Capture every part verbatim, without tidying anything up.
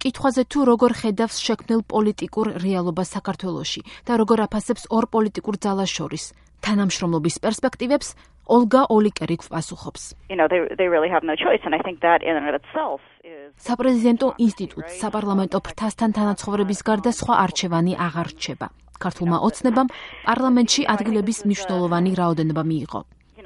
კითხვაზე თუ როგორ ხედავს შექმნილ პოლიტიკურ რეალობას საქართველოში და როგორ აფასებს ორ პოლიტიკურ ძალას შორის თანამშრომლობის პერსპექტივებს, ოლგა ოლიკერი გვპასუხობს. You know, they they really have no choice, and I think that in and of itself is საპრეზიდენტო ინსტიტუტს საპარლამენტო ფრთასთან თანაცხოვრების გარდა სხვა არჩევანი აღარ რჩება. ქართულმა ოცნებამ პარლამენტში ადგილების მნიშვნელოვანი რაოდენობა მიიღო.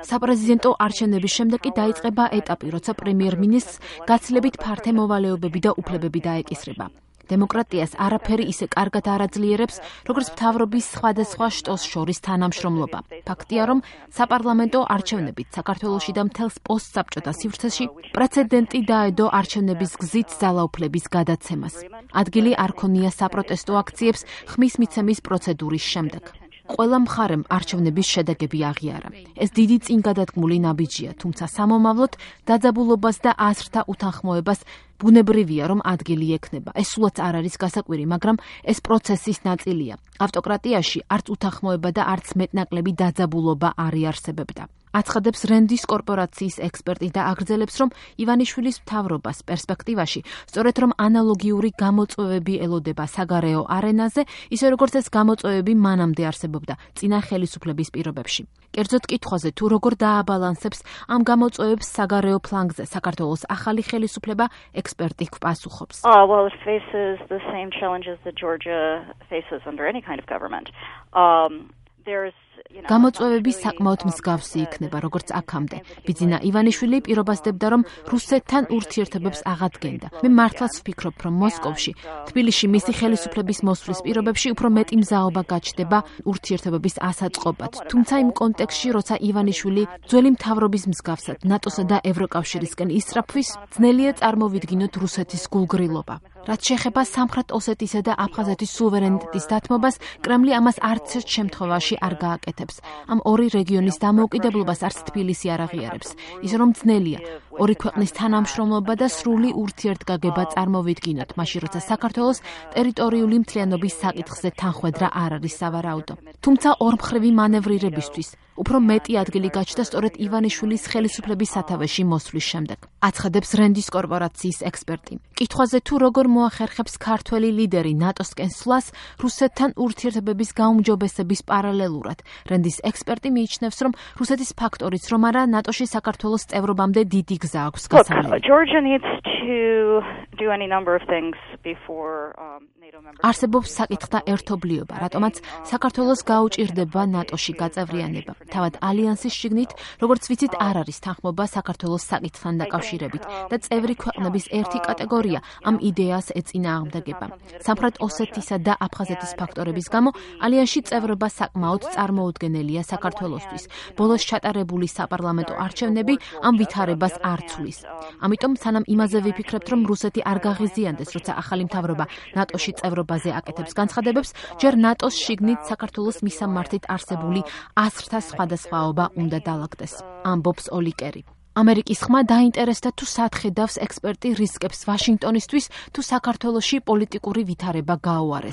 საპრეზიდენტო არჩევნების შემდეგ კი დაიწყება ეტაპი, როცა პრემიერ-მინისტრს გაცილებით ფართე მოვალეობები და უფლებები დაეკისრება. დემოკრატიას არაფერი ისე კარგად არ აძლიერებს, როგორც მთავრობის სხვადასხვა შტოს შორის თანამშრომლობა. ფაქტია, რომ საპარლამენტო არჩევნებით საქართველოში და მთელს პოსტსაბჭოთა სივრცეში პრეცედენტი დაედო არჩევნების გზით ძალაუფლების გადაცემას. ადგილი არ ქონია საპროტესტო აქციებს ხმის მიცემის პროცედურის შემდეგ. ყველა მხარემ არჩევნების შედეგები აღიარა. ეს დიდი წინგადადგმული ნაბიჯია, თუმცა სამომავლოდ დაძაბულობას და აზრთა უთანხმოებას ბუნებრივია, რომ ადგილი ექნება. ეს სულაც არ არის გასაკვირი, მაგრამ ეს პროცესის ნაწილია. ავტოკრატიაში არც უთანხმოება და არც მეტნაკლები დაძაბულობა არ იარსებებდა. აცხადებს რენდის კორპორაციის ექსპერტი და აგრძელებს, რომ ივანიშვილის მთავრობას პერსპექტივაში სწორედ რომ ანალოგიური გამოწვევები ელოდება საგარეო არენაზე, ისე როგორც ეს გამოწვევები მანამდე არსებობდა წინა ხელისუფლების პირობებში. კერძოდ კითხვაზე თუ როგორ დააბალანსებს ამ გამოწვევებს საგარეო ფლანგზე საქართველოს ახალი ხელისუფლება, ექსპერტი გვპასუხობს. Oh, well, it faces the same challenges that Georgia faces under any kind of government. Um, there's გამოწვევები საკმაოდ მსგავსი იქნება, როგორც აქამდე. ბიძინა ივანიშვილი პირობასდებდა, რომ რუსეთთან ურთიერთობებს აღადგენდა. მე მართლაც ვფიქრობ, რომ მოსკოვში, თბილისში მისი ხელისუფლების მოსვლის პირობებში უფრო მეტი მზაობა გაჩნდება ურთიერთობების ასაწყობად. თუმცა იმ კონტექსტში, როცა ივანიშვილი ძველი მთავრობის მსგავსად ნატოსა და ევროკავშირისკენ ისწრაფვის, ძნელია წარმოვიდგინოთ რუსეთის გულგრილობა. რაც შეეხება სამხრეთ ოსეთისა და აფხაზეთის სუვერენიტეტის დათმობას, კრემლი ამას არც ერთ შემთხვევაში არ გააკეთებს. ამ ორი რეგიონის დამოუკიდებლობას არც თბილისი არ აღიარებს. ისე რომ ძნელია ორი ქვეყნის თანამშრომლობა და სრული ურთიერთგაგება წარმოვიდგინოთ, მაშინ როცა საქართველოს ტერიტორიული მთლიანობის საკითხზე თანხვედრა არ არის სავარაუდო. თუმცა ორმხრივი მანევრირებისთვის უფრო მეტი ადგილი გაჩნდა სწორედ ივანიშვილის ხელისუფლების სათავეში მოსვლის შემდეგ. აცხადებს რენდის კორპორაციის ექსპერტი. კითხვაზე თუ როგორ მოახერხებს ქართველი ლიდერი ნატოსკენ სვლას რუსეთთან ურთიერთობების გაუმჯობესების პარალელურად. რენდის ექსპერტი მიიჩნევს, რომ რუსეთის ფაქტორიც რომ არა ნატოში საქართველოს წევრობამდე დიდი გზა აქვს გასავლელი. Georgia needs to do any number of things before um, NATO members. არსებობს საკითხთა ერთობლიობა, რატომაც საქართველოს გაუჭირდება ნატოში გაწევრიანება. თავად ალიანსის შიგნით, როგორც ვიცით, არ არის თანხმობა საქართველოს საკითხთან დაკავშირებით და წევრი ქვეყნების ერთი კატეგორია ამ იდეას ეწინააღმდეგება. სამხრეთ ოსეთისა და აფხაზეთის ფაქტორების გამო ალიანსში წევრობა საკმაოდ წარმოუდგენელია საქართველოსთვის. ბოლოს ჩატარებული საპარლამენტო არჩევნები ამ ვითარებას არ ცვლის. ამიტომ სანამ იმაზე ვიფიქრებთ, რომ რუსეთი არ გაღიზიანდეს, როცა ახალი მთავრობა ნატოში წევრობაზე აკეთებს განცხადებებს, ჯერ ნატოს შიგნით საქართველოს მისამართით არსებული აზრთა სხვადასხვაობა უნდა დაალაგდეს, ამბობს ოლიკერი. ამერიკის ხმა დაინტერესდა თუ სად ხედავს ექსპერტი რისკებს ვაშინგტონისთვის თუ საქართველოში პოლიტიკური ვითარება გაუარეს.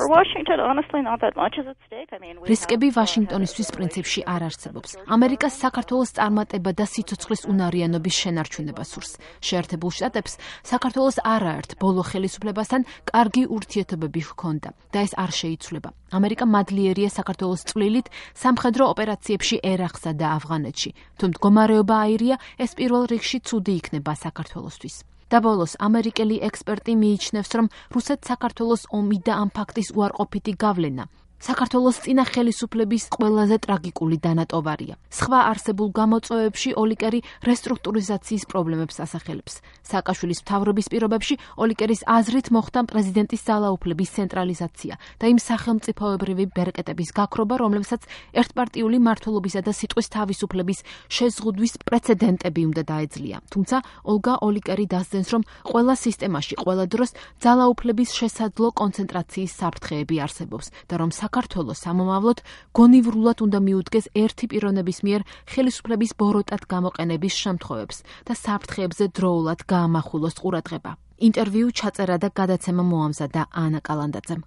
რისკები ვაშინგტონისთვის პრინციპში არ არსებობს. ამერიკას საქართველოს წარმატება და სიცოცხლის უნარიანობის შენარჩუნება სურს. შეერთებულ შტატებს საქართველოს არაერთ ბოლო ხელისუფლებასთან კარგი ურთიერთობები ჰქონდა და ეს არ შეიცვლება. ამერიკა მადლიერია საქართველოს წვლილით სამხედრო ოპერაციებში ერაყსა და ავღანეთში. თუ მდგომარეობა აირია, ეს პირველ რიგში ცუდი იქნება საქართველოსთვის. და ბოლოს ამერიკელი ექსპერტი მიიჩნევს, რომ რუსეთს საქართველოს ომი და ამ ფაქტის უარყოფითი გავლენა საქართველოს წინა ხელისუფლების ყველაზე ტრაგიკული დანატოვარია. სხვა არსებულ გამოწვევებში ოლიკერი რესტრუქტურიზაციის პრობლემებს ასახელებს. სააკაშვილის მთავრობის პირობებში ოლიკერის აზრით მოხდა პრეზიდენტის ძალაუფლების ცენტრალიზაცია და იმ სახელმწიფოებრივი ბერკეტების გაქრობა, რომლებსაც ერთპარტიული მმართველობისა და სიტყვის თავისუფლების შეზღუდვის პრეცედენტები უნდა დაეძლია. თუმცა ოლგა ოლიკერი დასძენს, რომ ყველა სისტემაში ყველა დროს ძალაუფლების შესაძლო კონცენტრაციის საფრთხეები არსებობს და რომ საქართველოს სამომავლოდ გონივრულად უნდა მიუდგეს ერთი პიროვნების მიერ ხელისუფლების ბოროტად გამოყენების შემთხვევებს და საფრთხეებზე დროულად გაამახვილოს ყურადღება. ინტერვიუ ჩაწერა და გადაცემა მოამზადა ანა კალანდაძემ.